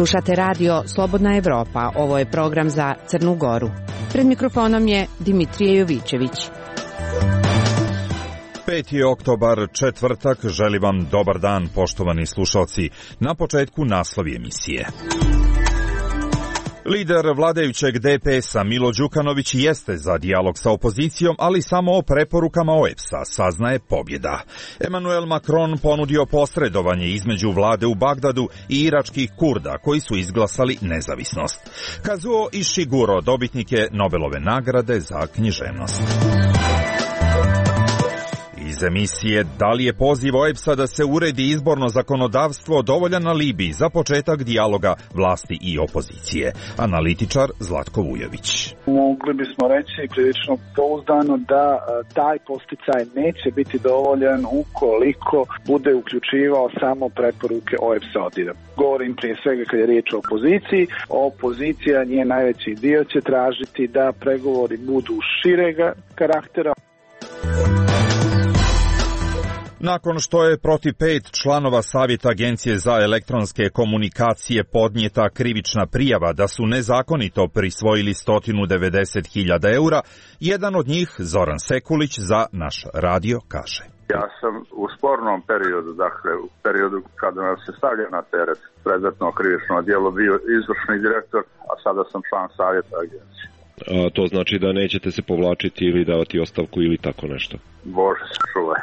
Slušate radio Slobodna Evropa. Ovo je program za Crnu Goru. Pred mikrofonom je Dimitrije Jovićević. 5. oktobar, četvrtak, želim vam dobar dan, poštovani slušalci. Na početku naslovi emisije. Lider vladajućeg DPS-a Milo Đukanović jeste za dijalog sa opozicijom, ali samo o preporukama OEBS-a saznaje pobjeda. Emmanuel Macron ponudio posredovanje između vlade u Bagdadu i iračkih Kurda koji su izglasali nezavisnost. Kazuo Ishiguro dobitnik je Nobelove nagrade za književnost. Iz emisije da li je poziv OEBS-a da se uredi izborno zakonodavstvo dovoljan alibi za početak dijaloga vlasti i opozicije. Analitičar Zlatko Vujović. Mogli bismo reći prilično pouzdano da taj posticaj neće biti dovoljan ukoliko bude uključivao samo preporuke OEBS-a. Govorim prije svega kad je riječ o opoziciji. Opozicija, njen najveći dio će tražiti da pregovori budu širega karaktera. Nakon što je protiv 5 članova Savjeta Agencije za elektronske komunikacije podnijeta krivična prijava da su nezakonito prisvojili 190.000 eura, jedan od njih, Zoran Sekulić, za naš radio kaže. Ja sam u spornom periodu, dakle u periodu kada nas se stavlja na teret predmetno krivično djelo, bio izvršni direktor, a sada sam član Savjeta Agencije. A to znači da nećete se povlačiti ili davati ostavku ili tako nešto? Bože se čuvaj.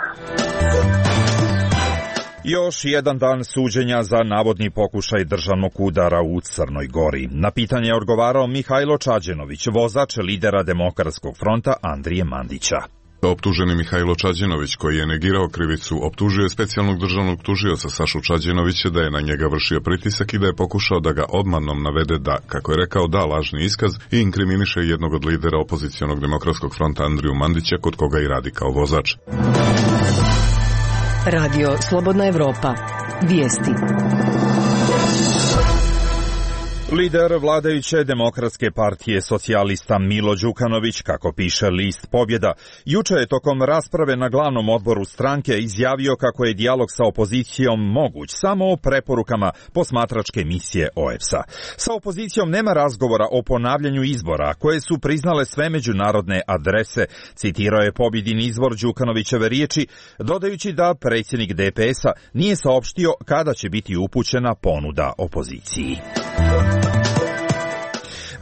Još jedan dan suđenja za navodni pokušaj državnog udara u Crnoj Gori. Na pitanje je odgovarao Mihajlo Čađenović, vozač lidera Demokratskog fronta Andrije Mandića. Optuženi Mihajlo Čađenović, koji je negirao krivicu, optužio je specijalnog državnog tužioca Sašu Čađenovića da je na njega vršio pritisak i da je pokušao da ga obmanom navede da, kako je rekao, da lažni iskaz i inkriminiše jednog od lidera opozicionog Demokratskog fronta Andriju Mandića, kod koga i radi kao vozač. Radio Slobodna Evropa. Vijesti. Lider vladajuće Demokratske partije socijalista Milo Đukanović, kako piše list Pobjeda, juče je tokom rasprave na glavnom odboru stranke izjavio kako je dijalog sa opozicijom moguć samo o preporukama posmatračke misije OEBS-a. Sa opozicijom nema razgovora o ponavljanju izbora, koje su priznale sve međunarodne adrese, citirao je pobjedin izvor Đukanovićeve riječi, dodajući da predsjednik DPS-a nije saopštio kada će biti upućena ponuda opoziciji.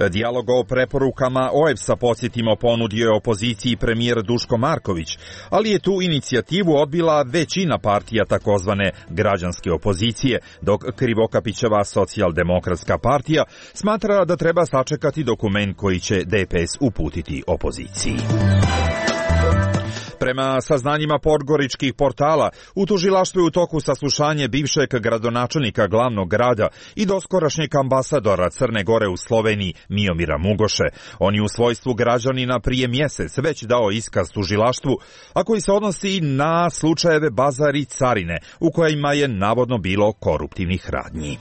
Dijalog o preporukama OEBS-a, podsjetimo, ponudio je opoziciji premijer Duško Marković, ali je tu inicijativu odbila većina partija takozvane građanske opozicije, dok Krivokapićeva socijaldemokratska partija smatra da treba sačekati dokument koji će DPS uputiti opoziciji. Prema saznanjima podgoričkih portala, u tužilaštvu je u toku saslušanje bivšeg gradonačelnika glavnog grada i doskorašnjeg ambasadora Crne Gore u Sloveniji Miomira Mugoše. On je u svojstvu građanina prije mjesec već dao iskaz tužilaštvu, a koji se odnosi na slučajeve Bazar i Carine, u kojima je navodno bilo koruptivnih radnji.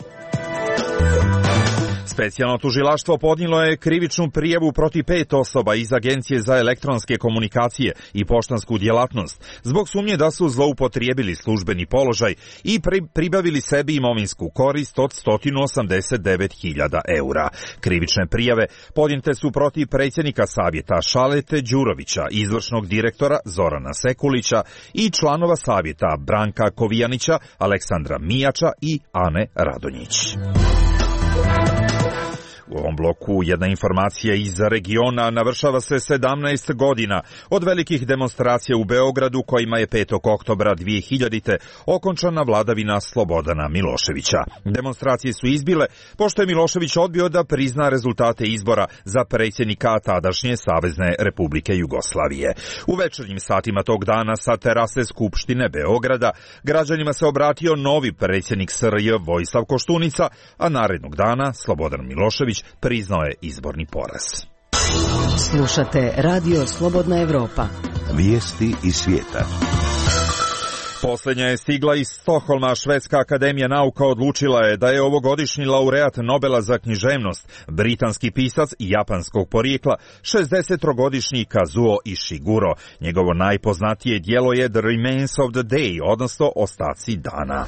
Specijalno tužilaštvo podnijelo je krivičnu prijavu protiv 5 osoba iz Agencije za elektronske komunikacije i poštansku djelatnost zbog sumnje da su zloupotrijebili službeni položaj i pribavili sebi imovinsku korist od 189.000 eura. Krivične prijave podnijete su protiv predsjednika savjeta Šalete Đurovića, izvršnog direktora Zorana Sekulića i članova savjeta Branka Kovijanića, Aleksandra Mijača i Ane Radonjić. U ovom bloku jedna informacija iz regiona. Navršava se 17 godina od velikih demonstracija u Beogradu kojima je 5. oktobra 2000. okončana vladavina Slobodana Miloševića. Demonstracije su izbile pošto je Milošević odbio da prizna rezultate izbora za predsjednika tadašnje Savezne Republike Jugoslavije. U večernjim satima tog dana sa terase Skupštine Beograda građanima se obratio novi predsjednik SRJ Vojislav Koštunica, a narednog dana Slobodan Milošević priznao je izborni poraz. Slušate Radio Slobodna Evropa. Vijesti iz svijeta. Posljednja je stigla iz Stokholma. Švedska akademija nauka odlučila je da je ovogodišnji laureat Nobela za književnost, britanski pisac japanskog porijekla, 63-godišnji Kazuo Ishiguro. Njegovo najpoznatije djelo je The Remains of the Day, odnosno Ostaci dana.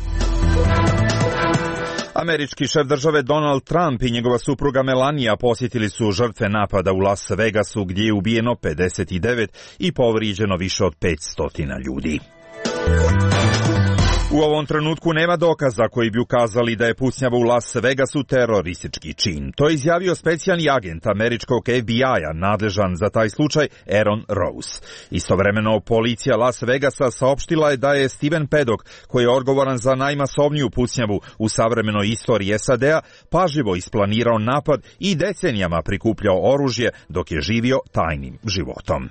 Američki šef države Donald Trump i njegova supruga Melania posjetili su žrtve napada u Las Vegasu gdje je ubijeno 59 i povrijeđeno više od 500 ljudi. U ovom trenutku nema dokaza koji bi ukazali da je pucnjava u Las Vegasu teroristički čin. To je izjavio specijalni agent američkog FBI-a nadležan za taj slučaj Aaron Rose. Istovremeno policija Las Vegasa saopštila je da je Steven Paddock, koji je odgovoran za najmasovniju pucnjavu u savremenoj istoriji SAD-a, pažljivo isplanirao napad i decenijama prikupljao oružje dok je živio tajnim životom.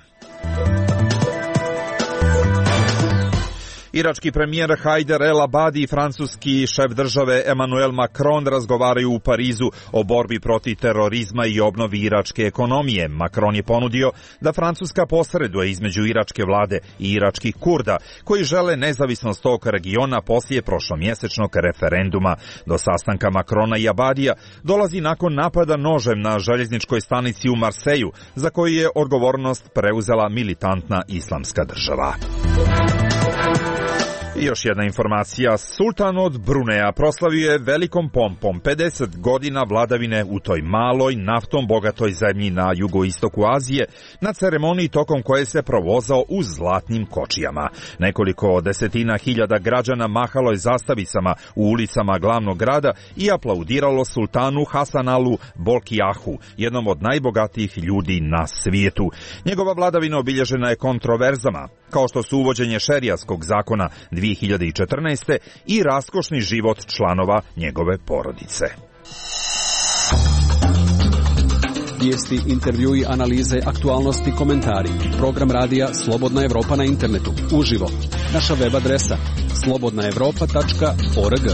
Irački premijer Haider El Abadi i francuski šef države Emmanuel Macron razgovaraju u Parizu o borbi protiv terorizma i obnovi iračke ekonomije. Macron je ponudio da Francuska posreduje između iračke vlade i iračkih Kurda, koji žele nezavisnost tog regiona poslije prošlomjesečnog referenduma. Do sastanka Macrona i Abadija dolazi nakon napada nožem na željezničkoj stanici u Marseju, za koju je odgovornost preuzela militantna islamska država. I još jedna informacija. Sultan od Bruneja proslavio je velikom pompom 50 godina vladavine u toj maloj, naftom bogatoj zemlji na jugoistoku Azije, na ceremoniji tokom koje se provozao u zlatnim kočijama. Nekoliko desetina hiljada građana mahalo je zastavicama u ulicama glavnog grada i aplaudiralo sultanu Hasanalu Bolkiahu, jednom od najbogatijih ljudi na svijetu. Njegova vladavina obilježena je kontroverzama, kao što su uvođenje šerijatskog zakona 2014. i raskošni život članova njegove porodice. Vijesti, intervjui, analize, aktualnosti, komentari. Program radija Slobodna Evropa na internetu. Uživo. Naša web adresa slobodnaevropa.org.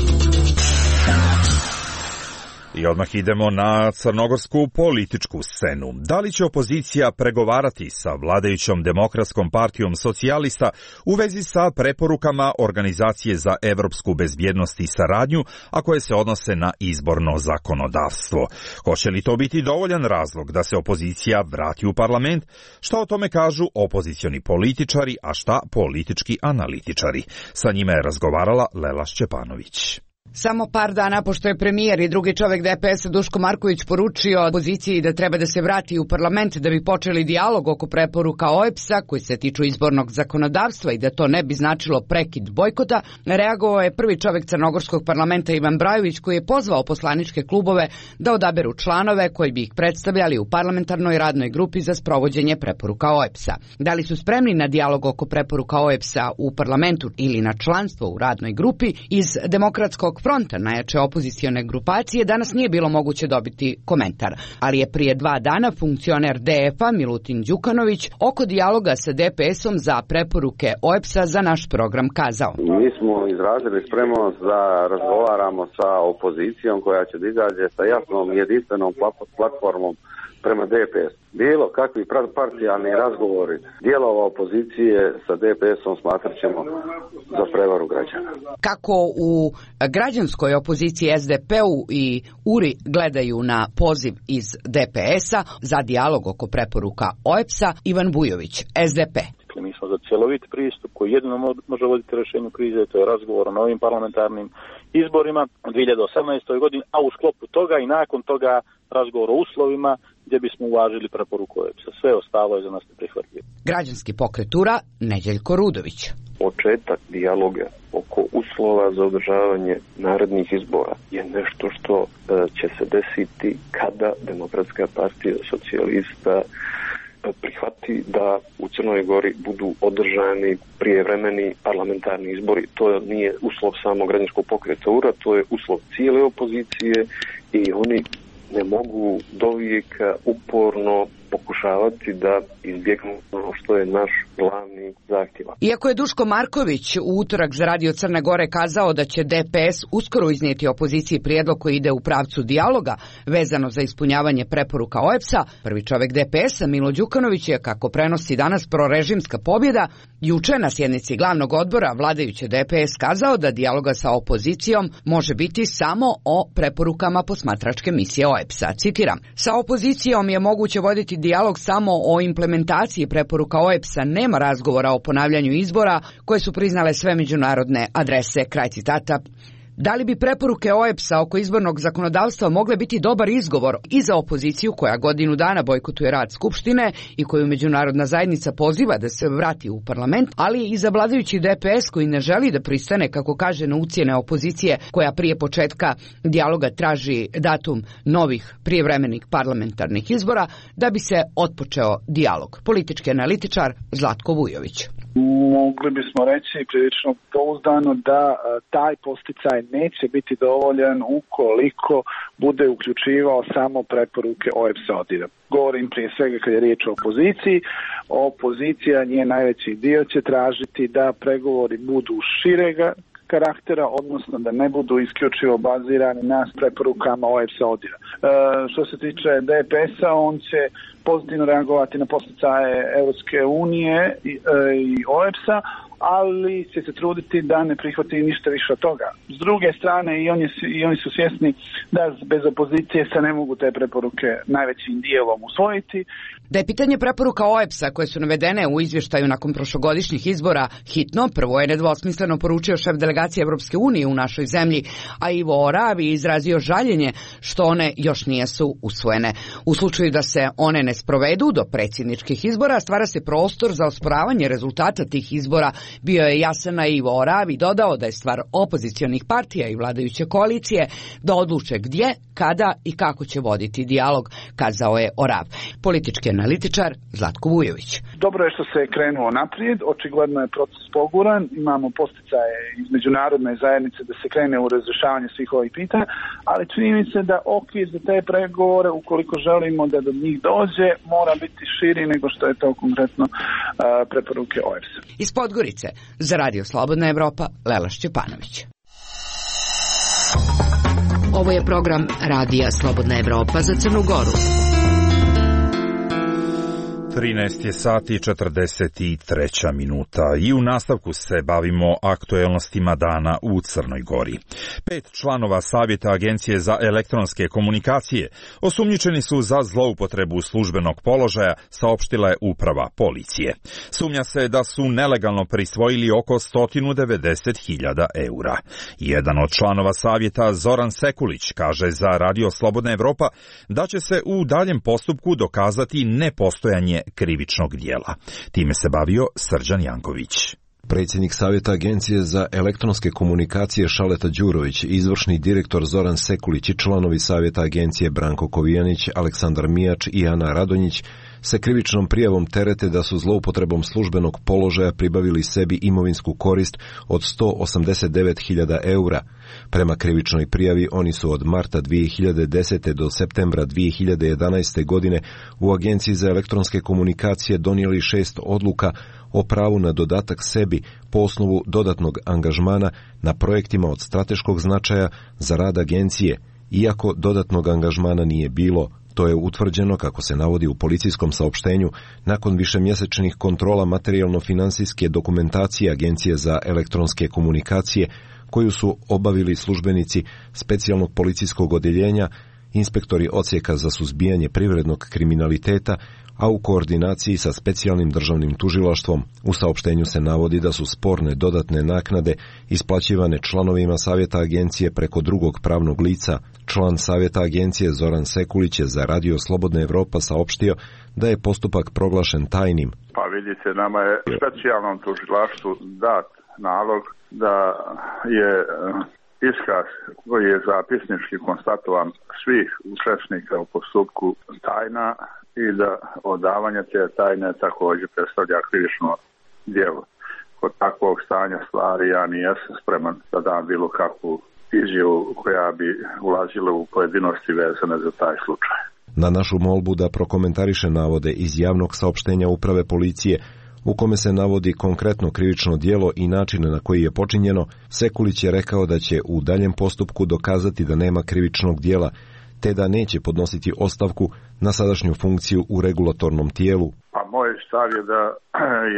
I odmah idemo na crnogorsku političku scenu. Da li će opozicija pregovarati sa vladajućom Demokratskom partijom socijalista u vezi sa preporukama Organizacije za evropsku bezbjednost i saradnju, a koje se odnose na izborno zakonodavstvo? Hoće li to biti dovoljan razlog da se opozicija vrati u parlament? Šta o tome kažu opozicioni političari, a šta politički analitičari? Sa njima je razgovarala Lela Šćepanović. Samo par dana pošto je premijer i drugi čovjek DPS-a Duško Marković poručio opoziciji da treba da se vrati u parlament da bi počeli dijalog oko preporuka OEBS-a koji se tiču izbornog zakonodavstva i da to ne bi značilo prekid bojkota, reagovao je prvi čovjek crnogorskog parlamenta Ivan Brajović, koji je pozvao poslaničke klubove da odaberu članove koji bi ih predstavljali u parlamentarnoj radnoj grupi za sprovođenje preporuka OEBS-a. Da li su spremni na dijalog oko preporuka OEBS-a u parlamentu ili na članstvo u radnoj grupi, iz Demokratskog fronta, najjače opozicione grupacije, danas nije bilo moguće dobiti komentar, ali je prije 2 dana funkcioner DF-a Milutin Đukanović oko dijaloga sa DPS-om za preporuke OEBS-a za naš program kazao. Mi smo izrazili spremnost da razgovaramo sa opozicijom koja će da izađe sa jasnom jedinstvenom platformom prema DPS. Bilo kakvi partijalni razgovori dijelova opozicije sa DPS-om smatrat ćemo za prevaru građana. Kako u građanskoj opoziciji SDP-u i URI gledaju na poziv iz DPS-a za dijalog oko preporuka OEBS-a, Ivan Bujović, SDP. Mi smo za cjelovit pristup koji jedino može voditi rješenju krize, to je razgovor o novim parlamentarnim izborima u 2018. godini, a u sklopu toga i nakon toga razgovor o uslovima gdje bismo uvažili preporuku OEBS-a. Sve ostalo je za nas neprihvatljivo. Građanski pokret URA, Neđeljko Rudović. Početak dijaloga oko uslova za održavanje narednih izbora je nešto što će se desiti kada Demokratska partija socijalista prihvati da u Crnoj Gori budu održani prijevremeni parlamentarni izbori. To nije uslov samo građanskog pokreta URA, to je uslov cijele opozicije i oni ne mogu dovijeka uporno pokušavati da izbjegnu ono što je naš glavni zahtjev. Iako je Duško Marković u utorak za Radio Crne Gore kazao da će DPS uskoro iznijeti opoziciji prijedlog koji ide u pravcu dijaloga vezano za ispunjavanje preporuka OEBS-a, prvi čovjek DPS-a Milo Đukanović je, kako prenosi danas prorežimska pobjeda, juče na sjednici glavnog odbora vladajuće DPS kazao da dijaloga sa opozicijom može biti samo o preporukama posmatračke misije OEBS-a. Citiram: sa opozicijom je moguće voditi dijalog samo o implementaciji preporuka OEBS-a, nema razgovora o ponavljanju izbora koje su priznale sve međunarodne adrese. Kraj citata Da li bi preporuke OEBS-a oko izbornog zakonodavstva mogle biti dobar izgovor i za opoziciju koja godinu dana bojkotuje rad Skupštine i koju međunarodna zajednica poziva da se vrati u parlament, ali i za vladajući DPS koji ne želi da pristane, kako kaže, na ucjene opozicije koja prije početka dijaloga traži datum novih prijevremenih parlamentarnih izbora da bi se otpočeo dijalog. Politički analitičar Zlatko Vujović. Mogli bismo reći prilično pouzdano da taj posticaj neće biti dovoljan ukoliko bude uključivao samo preporuke OEBS-a. Govorim prije svega kad je riječ o opoziciji. Opozicija, njen najveći dio će tražiti da pregovori budu širega karaktera, odnosno da ne budu isključivo bazirani na preporukama OEBS-a. Što se tiče DPS-a, on će pozitivno reagovati na posticaje Europske unije i OEBS-a, ali će se truditi da ne prihvati ništa više od toga. S druge strane, i oni su svjesni da bez opozicije se ne mogu te preporuke najvećim dijelom usvojiti. Da je pitanje preporuka OEBS-a koje su navedene u izvještaju nakon prošlogodišnjih izbora hitno, prvo je nedvosmisleno poručio šef delegacije Europske unije u našoj zemlji, a Ivo Oravi izrazio žaljenje što one još nisu usvojene. U slučaju da se one ne sprovedu do predsjedničkih izbora, stvara se prostor za osporavanje rezultata tih izbora. Bio je jasan, a Ivo Oravi dodao da je stvar opozicionih partija i vladajuće koalicije da odluče gdje, kada i kako će voditi dijalog, kazao je Orav. Politički analitičar Zlatko Vujović. Dobro je što se krenuo naprijed, očigledno je proces poguran, imamo posticaje iz međunarodne zajednice da se krene u razrješavanje svih ovih pitanja, ali čini mi se da okvir za te pregovore, ukoliko želimo da do njih dođe, mora biti širi nego što je to konkretno preporuke OEBS-a. Iz Podgorice, za Radio Slobodna Evropa, Lela Šćepanović. Ovo je program Radija Slobodna Evropa za Crnu Goru. 13 je sati 43 minuta i u nastavku se bavimo aktuelnostima dana u Crnoj Gori. 5 članova Savjeta Agencije za elektronske komunikacije osumnjičeni su za zloupotrebu službenog položaja, saopštila je uprava policije. Sumnja se da su nelegalno prisvojili oko 190.000 eura. Jedan od članova Savjeta, Zoran Sekulić, kaže za Radio Slobodna Evropa da će se u daljem postupku dokazati nepostojanje krivičnog dijela. Time se bavio Srđan Janković. Predsjednik Savjeta Agencije za elektronske komunikacije Šaleta Đurović, izvršni direktor Zoran Sekulić i članovi Savjeta Agencije Branko Kovijanić, Aleksandar Mijač i Ana Radonjić se krivičnom prijavom terete da su zloupotrebom službenog položaja pribavili sebi imovinsku korist od 189.000 eura. Prema krivičnoj prijavi oni su od marta 2010. do septembra 2011. godine u Agenciji za elektronske komunikacije donijeli 6 odluka o pravu na dodatak sebi po osnovu dodatnog angažmana na projektima od strateškog značaja za rad agencije, iako dodatnog angažmana nije bilo. To je utvrđeno, kako se navodi u policijskom saopštenju, nakon višemjesečnih kontrola materijalno-finansijske dokumentacije Agencije za elektronske komunikacije, koju su obavili službenici specijalnog policijskog odjeljenja, inspektori odsjeka za suzbijanje privrednog kriminaliteta, a u koordinaciji sa specijalnim državnim tužilaštvom. U saopštenju se navodi da su sporne dodatne naknade isplaćivane članovima Savjeta Agencije preko drugog pravnog lica. Član Savjeta Agencije Zoran Sekulić je za Radio Slobodna Evropa saopštio da je postupak proglašen tajnim. Pa vidite, nama je specijalnom tužilaštvu dat nalog da je iskaz koji je zapisnički konstatovan svih učesnika u postupku tajna i da odavanje te tajne također predstavlja krivično djelo. Kod takvog stanja stvari ja nijesam spreman da dam bilo kakvu izjavu koja bi ulazila u pojedinosti vezane za taj slučaj. Na našu molbu da prokomentariše navode iz javnog saopštenja uprave policije, u kome se navodi konkretno krivično djelo i način na koji je počinjeno, Sekulić je rekao da će u daljem postupku dokazati da nema krivičnog djela, te da neće podnositi ostavku na sadašnju funkciju u regulatornom tijelu. Pa moj stav je da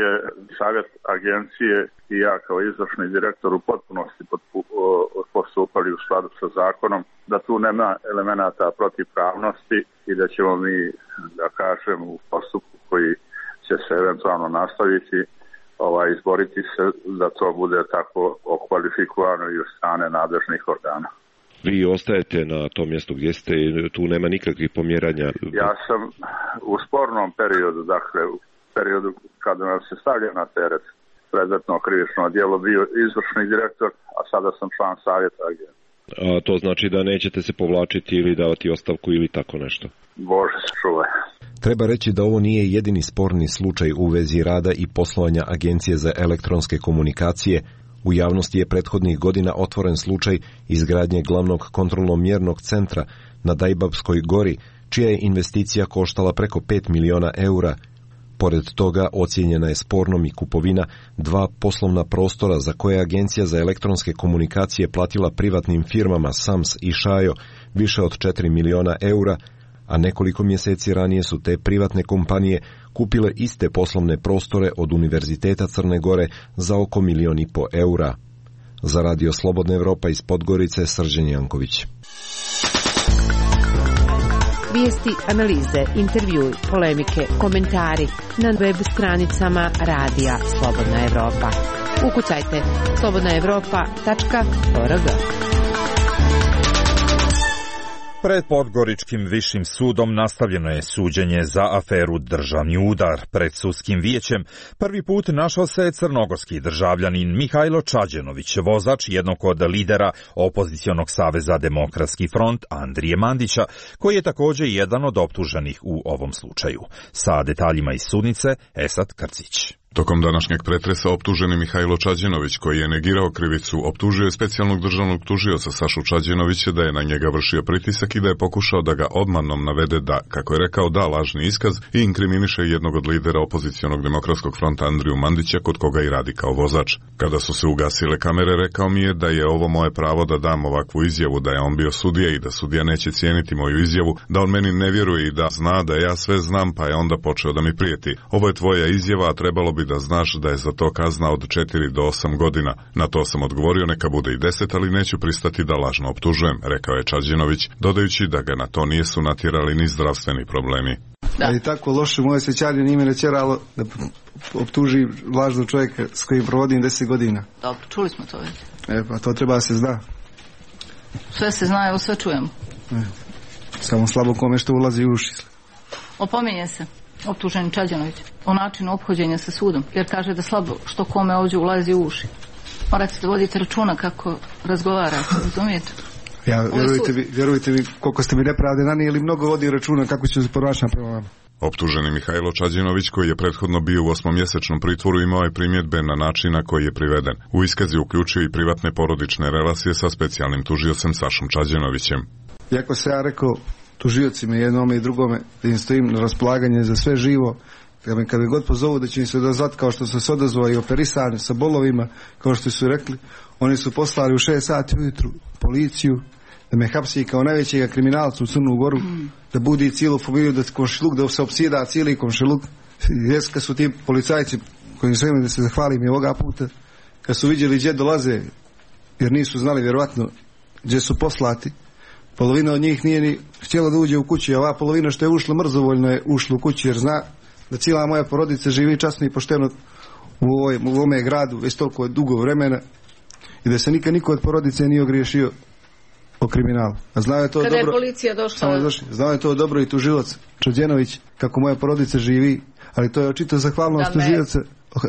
je Savjet Agencije i ja kao izvršni direktor u potpunosti postupali u skladu sa zakonom, da tu nema elemenata protivpravnosti i da ćemo mi, da kažem, u postupku koji će se eventualno nastaviti, izboriti se da to bude tako okvalifikovano i od strane nadležnih organa. Vi ostajete na tom mjestu gdje ste, tu nema nikakvih pomjeranja? Ja sam u spornom periodu, dakle u periodu kada nam se stavlja na teret predmetno krivično djelo, bio izvršni direktor, a sada sam član savjeta agencije. A to znači da nećete se povlačiti ili davati ostavku ili tako nešto? Bože se čuvaj. Treba reći da ovo nije jedini sporni slučaj u vezi rada i poslovanja Agencije za elektronske komunikacije. U javnosti je prethodnih godina otvoren slučaj izgradnje glavnog kontrolno-mjernog centra na Dajbabskoj gori, čija je investicija koštala preko 5 miliona eura. Pored toga ocijenjena je spornom i kupovina 2 poslovna prostora za koje Agencija za elektronske komunikacije platila privatnim firmama Sams i Šajo više od 4 miliona eura, a nekoliko mjeseci ranije su te privatne kompanije kupile iste poslovne prostore od Univerziteta Crne Gore za oko 1,5 miliona eura. Za Radio Slobodna Evropa iz Podgorice, Srđan Janković. Vijesti, analize, intervjui, polemike, komentari na web stranicama Radija Slobodna Evropa. Ukucajte slobodnaevropa.org. Pred Podgoričkim višim sudom nastavljeno je suđenje za aferu Državni udar. Pred sudskim vijećem prvi put našao se crnogorski državljanin Mihajlo Čađenović, vozač jednog od lidera opozicionog saveza Demokratski front Andrije Mandića, koji je također jedan od optuženih u ovom slučaju. Sa detaljima iz sudnice, Esad Krcić. Tokom današnjeg pretresa optuženi Mihajlo Čađenović, koji je negirao krivicu, optužio je specijalnog državnog tužioca Sašu Čađenovića da je na njega vršio pritisak i da je pokušao da ga obmanom navede da, kako je rekao, da lažni iskaz i inkriminiše jednog od lidera opozicionog Demokratskog fronta Andriju Mandića, kod koga i radi kao vozač. Kada su se ugasile kamere, rekao mi je da je ovo moje pravo da dam ovakvu izjavu, da je on bio sudija i da sudija neće cijeniti moju izjavu, da on meni ne vjeruje i da zna da ja sve znam, pa je onda počeo da mi prijeti. Ovo je tvoja izjava, a trebalo bi da znaš da je za to kazna od 4 do 8 godina. Na to sam odgovorio, neka bude i 10, ali neću pristati da lažno optužujem, rekao je Čađenović, dodajući da ga na to nisu natjerali ni zdravstveni problemi. Da. Ali tako loše moje sjećanje nije me natjeralo da optuži lažnog čovjeka s kojim provodim 10 godina. Dobro, čuli smo to već. Pa to treba se zna. Sve se zna, evo sve čujemo. Samo slabo kome što ulazi u uši. Opominje se optuženi Čađenović o načinu ophođenja sa sudom, jer kaže da slabo što kome ovdje ulazi u uši. Morate da vodite računa kako razgovarate, razumijete? Vjerujte mi, koliko ste mi nepravde nanijeli, mnogo vodi računa kako će se ponašati prema vama. Optuženi Mihajlo Čađenović, koji je prethodno bio u 8-mjesečnom pritvoru, imao je primjedbe na način na koji je priveden. U iskazi uključio i privatne porodične relacije sa specijalnim tužiocem Sašom Čađenovićem. Iako se ja rekao tužiocima jednome i drugome da im stojim na raspolaganje za sve živo, kad me god pozovu da će im se dozvat kao što su se odazvali i operisani sa bolovima, kao što su rekli, oni su poslali u 6 sati ujutru policiju da me hapsi kao najvećega kriminalca u Crnu Goru, da budi cijelu familiju, da komšiluk, da se opsjeda cijeli komšiluk. Kad su ti policajci koji su imali da se zahvalim i ovoga puta, kad su vidjeli gdje dolaze, jer nisu znali vjerovatno gdje su poslati, polovina od njih nije ni htjela da uđe u kući, a ova polovina što je ušla mrzovoljno je ušla u kući, jer zna da cijela moja porodica živi časno i pošteno u ovome gradu već toliko dugo vremena i da se nikad niko od porodice nije ogriješio o kriminalu. A znao je to kada dobro, je policija došla. Znao je to dobro i tužilac Čađenović kako moja porodica živi, ali to je očito zahvalnost tužioca.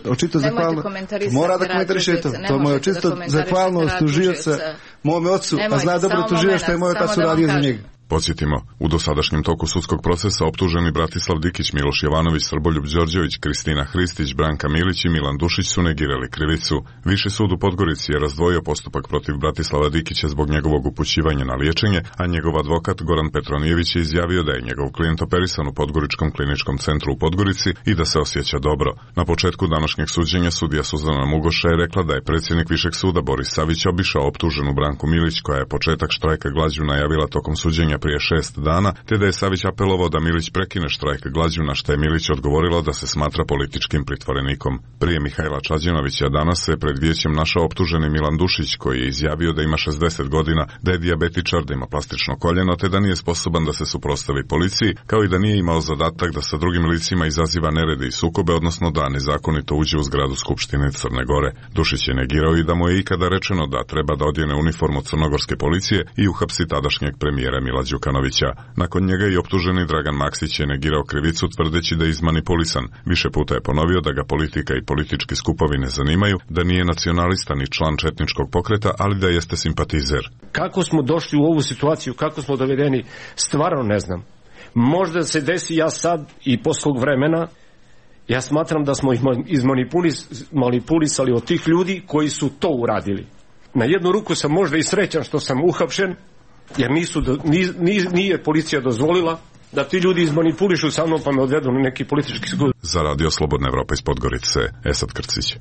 Očito zahvalnost. Mora da komentariše to. To je moja očito zahvalnost tužioca mome ocu, a zna dobro tužioca što je moj otac uradio za njega. Podsjetimo, u dosadašnjem toku sudskog procesa optuženi Bratislav Dikić, Miloš Jovanović, Srboljub Đorđević, Kristina Hristić, Branka Milić i Milan Dušić su negirali krivicu. Viši sud u Podgorici je razdvojio postupak protiv Bratislava Dikića zbog njegovog upućivanja na liječenje, a njegov advokat Goran Petronijević je izjavio da je njegov klijent operisan u Podgoričkom kliničkom centru u Podgorici i da se osjeća dobro. Na početku današnjeg suđenja sudija Suzana Mugoša je rekla da je predsjednik Višeg suda Boris Savić obišao optuženu Branku Milić, koja je početak štrajka glađu najavila tokom suđenja suđenja prije 6 dana, te da je Savić apelovao da Milić prekine štrajk glađu, na što je Milić odgovorila da se smatra političkim pritvorenikom. Prije Mihajla Čađenovića danas se pred vijećem našao optuženi Milan Dušić, koji je izjavio da ima 60 godina, da je dijabetičar, da ima plastično koljeno, te da nije sposoban da se suprotstavi policiji, kao i da nije imao zadatak da sa drugim licima izaziva nerede i sukobe, odnosno da nezakonito uđe u zgradu Skupštine Crne Gore. Dušić je negirao i da mu je ikada rečeno da treba da odjene uniformu crnogorske policije i uhapsi tadašnjeg premijera Mila Đukanovića. Nakon njega i optuženi Dragan Maksić je negirao krivicu tvrdeći da je izmanipulisan. Više puta je ponovio da ga politika i politički skupovi ne zanimaju, da nije nacionalista ni član četničkog pokreta, ali da jeste simpatizer. Kako smo došli u ovu situaciju, kako smo dovedeni, stvarno ne znam. Možda se desi ja sad i poslog vremena, ja smatram da smo ih izmanipulisali od tih ljudi koji su to uradili. Na jednu ruku sam možda i srećan što sam uhapšen, jer nije policija dozvolila da ti ljudi izmanipulišu sa mnom pa me odvedu na neki politički sud. Za Radio Slobodna Evropa iz Podgorice, Esad Krcić.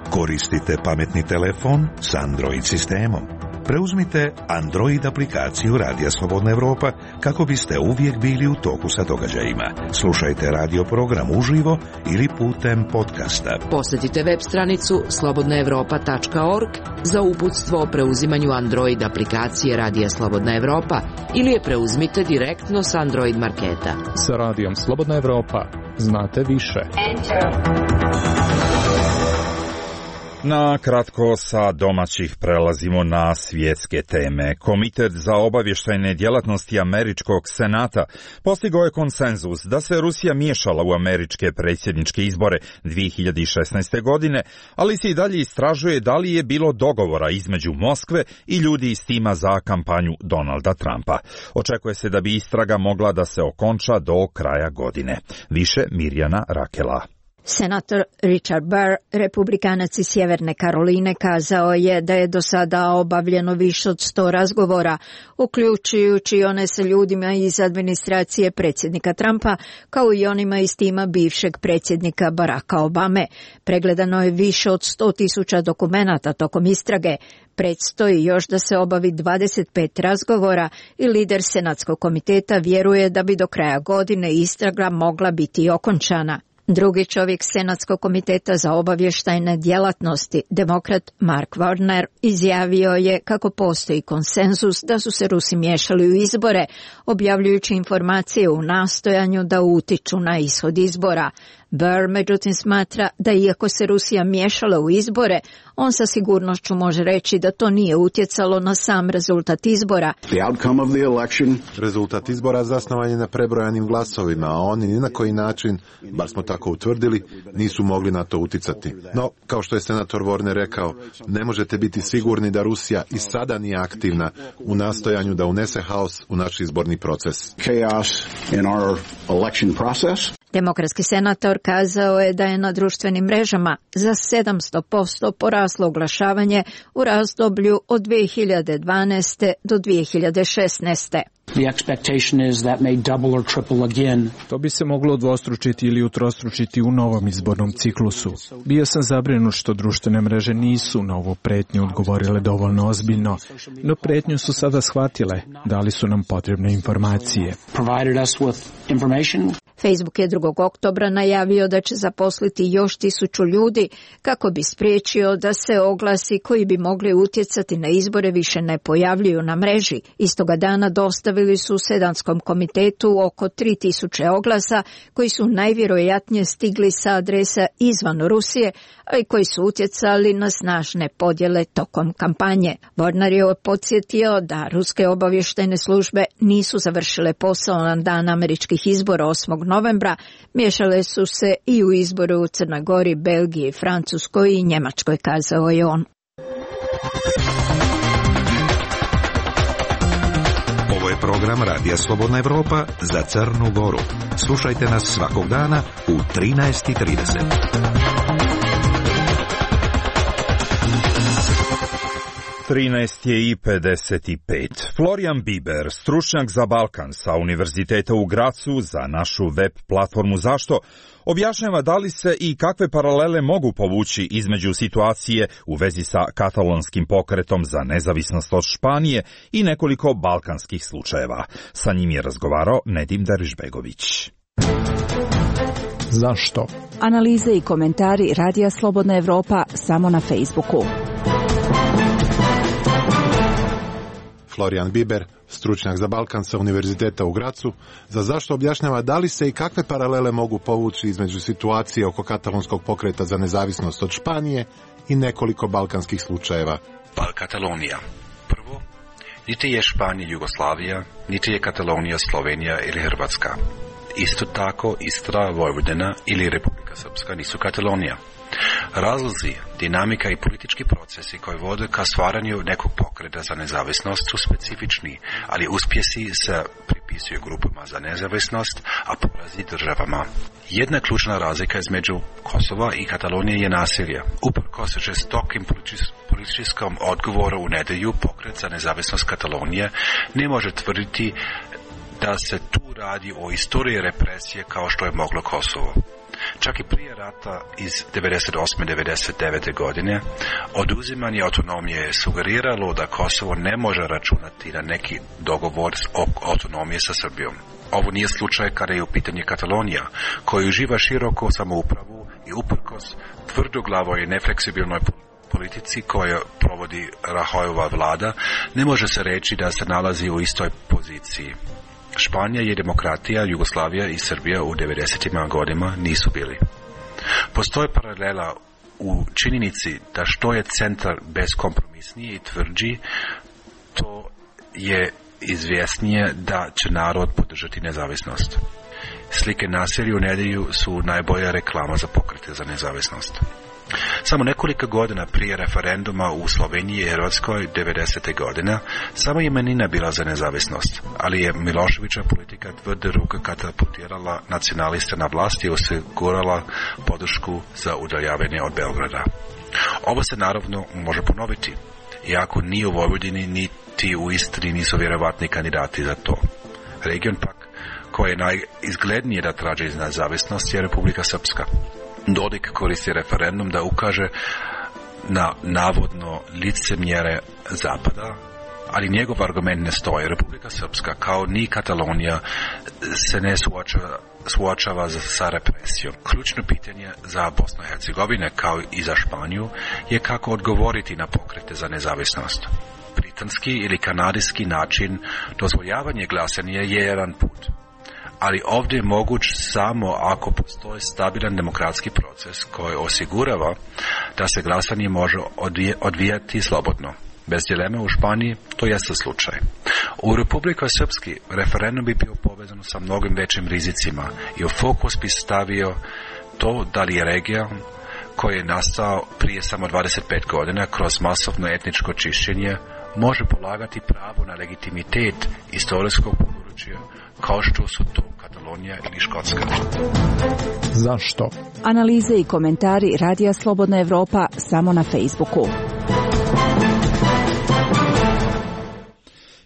Koristite pametni telefon s Android sistemom. Preuzmite Android aplikaciju Radija Slobodna Evropa kako biste uvijek bili u toku sa događajima. Slušajte radio program uživo ili putem podcasta. Posjetite web stranicu slobodnaevropa.org za uputstvo o preuzimanju Android aplikacije Radija Slobodna Evropa ili je preuzmite direktno s Android marketa. Sa Radijom Slobodna Evropa znate više. Na kratko sa domaćih prelazimo na svjetske teme. Komitet za obavještajne djelatnosti američkog senata postigao je konsenzus da se Rusija miješala u američke predsjedničke izbore 2016. godine, ali se i dalje istražuje da li je bilo dogovora između Moskve i ljudi iz tima za kampanju Donalda Trumpa. Očekuje se da bi istraga mogla da se okonča do kraja godine. Više Mirjana Rakela. Senator Richard Burr, republikanac iz Sjeverne Karoline, kazao je da je do sada obavljeno više od 100 razgovora, uključujući one sa ljudima iz administracije predsjednika Trumpa, kao i onima iz tima bivšeg predsjednika Baracka Obame. Pregledano je više od 100.000 dokumenata tokom istrage. Predstoji još da se obavi 25 razgovora i lider Senatskog komiteta vjeruje da bi do kraja godine istraga mogla biti okončana. Drugi čovjek Senatskog komiteta za obavještajne djelatnosti, demokrat Mark Warner, izjavio je kako postoji konsenzus da su se Rusi miješali u izbore, objavljujući informacije u nastojanju da utiču na ishod izbora. Burr međutim smatra da iako se Rusija miješala u izbore, on sa sigurnošću može reći da to nije utjecalo na sam rezultat izbora. Rezultat izbora zasnovan je na prebrojanim glasovima, a oni ni na koji način, bar smo tako utvrdili, nisu mogli na to utjecati. No, kao što je senator Warner rekao, ne možete biti sigurni da Rusija i sada nije aktivna u nastojanju da unese haos u naš izborni proces. Demokratski senator kazao je da je na društvenim mrežama za 700% poraslo oglašavanje u razdoblju od 2012. do 2016. To bi se moglo udvostručiti ili utrostručiti u novom izbornom ciklusu. Bio sam zabrinut što društvene mreže nisu na ovu pretnju odgovorile dovoljno ozbiljno, no pretnju su sada shvatile, dali su nam potrebne informacije. Facebook je 2. oktobra najavio da će zaposliti još 1000 ljudi kako bi spriječio da se oglasi koji bi mogli utjecati na izbore više ne pojavljuju na mreži. Istoga dana dostavili su Senatskom komitetu oko 3000 oglasa koji su najvjerojatnije stigli sa adresa izvan Rusije, ali koji su utjecali na snažne podjele tokom kampanje. Warner je podsjetio da ruske obavještajne službe nisu završile posao na dan američkih izbora 8. novembra, miješale su se i u izboru u Crnoj Gori, Belgiji, Francuskoj i Njemačkoj, kazao je on. Ovo je program Radija Slobodna Evropa za Crnu Goru. Slušajte nas svakog dana u 13:30. 13:55. Florian Biber, stručnjak za Balkan sa Univerziteta u Gracu za našu web platformu Zašto, objašnjava da li se i kakve paralele mogu povući između situacije u vezi sa katalonskim pokretom za nezavisnost od Španije i nekoliko balkanskih slučajeva. Sa njim je razgovarao Nedim Derišbegović. Zašto? Analize i komentari Radija Slobodna Evropa samo na Facebooku. Florian Biber, stručnjak za Balkan sa Univerziteta u Gracu, za Zašto objašnjava da li se i kakve paralele mogu povući između situacije oko katalonskog pokreta za nezavisnost od Španije i nekoliko balkanskih slučajeva. Katalonija. Prvo, niti je Španija Jugoslavija, niti je Katalonija Slovenija ili Hrvatska. Isto tako Istra, Vojvodina ili Republika Srpska nisu Katalonija. Razlozi, dinamika i politički procesi koji vode ka stvaranju nekog pokreta za nezavisnost su specifični, ali uspjesi se pripisuju grupama za nezavisnost, a porazi državama. Jedna ključna razlika između Kosova i Katalonije je nasilje. Uprkos žestokim političkom odgovoru u nedjelju, pokret za nezavisnost Katalonije ne može tvrditi da se tu radi o istoriji represije kao što je moglo Kosovo. Čak i prije rata iz 98-99. godine oduzimanje autonomije je sugeriralo da Kosovo ne može računati na neki dogovor o autonomije sa Srbijom. Ovo nije slučaj kada je u pitanju Katalonija, koji uživa široko samoupravu i uprkos tvrdoglavoj i nefleksibilnoj politici koju provodi Rahojova vlada, ne može se reći da se nalazi u istoj poziciji. Španija je demokratija, Jugoslavija i Srbija u 90. godinama nisu bili. Postoji paralela u činjenici da što je centar bezkompromisniji i tvrđi, to je izvjesnije da će narod podržati nezavisnost. Slike nasilja u nedjelju su najbolja reklama za pokrete za nezavisnost. Samo nekoliko godina prije referenduma u Sloveniji i Hrvatskoj 90. godina samo je manjina bila za nezavisnost, ali je Miloševića politika tvrde ruke katapultirala nacionaliste na vlasti i osigurala podršku za udaljavanje od Beograda. Ovo se naravno može ponoviti, iako ni u Vojvodini niti u Istri nisu vjerovatni kandidati za to. Region pak koji je najizglednije da traži nezavisnost je Republika Srpska. Dodik koristi referendum da ukaže na navodno licemjere Zapada, ali njegov argument ne stoji. Republika Srpska, kao ni Katalonija, se ne suočava sa represijom. Ključno pitanje za Bosnu i Hercegovinu, kao i za Španiju, je kako odgovoriti na pokrete za nezavisnost. Britanski ili kanadijski način dozvoljavanja glasanja je jedan put, ali ovdje je moguć samo ako postoji stabilan demokratski proces koji osigurava da se glasanje može odvijati slobodno. Bez dileme u Španiji to jeste slučaj. U Republici Srpski referendum bi bio povezan sa mnogim većim rizicima i u fokus bi stavio to da li je regija koji je nastao prije samo 25 godina kroz masovno etničko čišćenje može polagati pravo na legitimitet istorijskog područja kao što su to Katalonija ili Škotska. Zašto? Analize i komentari Radija Slobodna Evropa samo na Facebooku.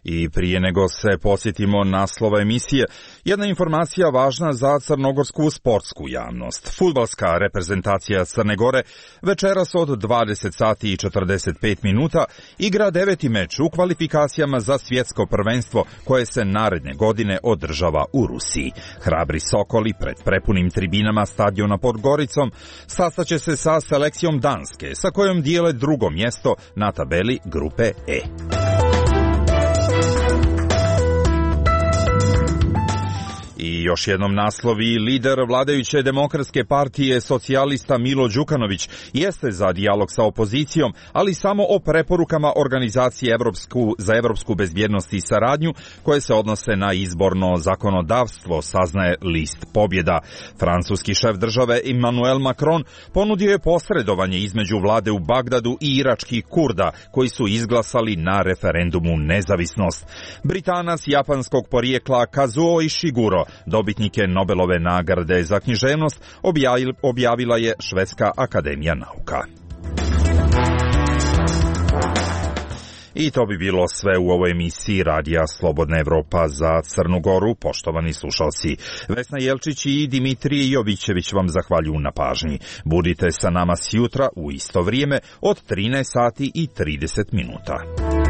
I prije nego se podsjetimo naslova emisije, jedna informacija važna za crnogorsku sportsku javnost. Fudbalska reprezentacija Crne Gore večeras od 20 sati i 45 minuta igra 9. meč u kvalifikacijama za svjetsko prvenstvo koje se naredne godine održava u Rusiji. Hrabri Sokoli pred prepunim tribinama stadiona pod Goricom sastaće se sa selekcijom Danske, sa kojom dijele drugo mjesto na tabeli grupe E. I još jednom naslovi, lider vladajuće demokratske partije socijalista Milo Đukanović jeste za dijalog sa opozicijom, ali samo o preporukama organizacije za evropsku bezbjednost i saradnju koje se odnose na izborno zakonodavstvo, saznaje list Pobjeda. Francuski šef države Emmanuel Macron ponudio je posredovanje između vlade u Bagdadu i iračkih Kurda koji su izglasali na referendumu nezavisnost. Britanac japanskog porijekla Kazuo Ishiguro, dobitnike Nobelove nagrade za književnost, objavila je Švedska akademija nauka. I to bi bilo sve u ovoj emisiji Radija Slobodna Evropa za Crnu Goru, poštovani slušalci. Vesna Jelčić i Dimitrije Jovićević vam zahvaljuju na pažnji. Budite sa nama sjutra u isto vrijeme od 13 sati i 30 minuta.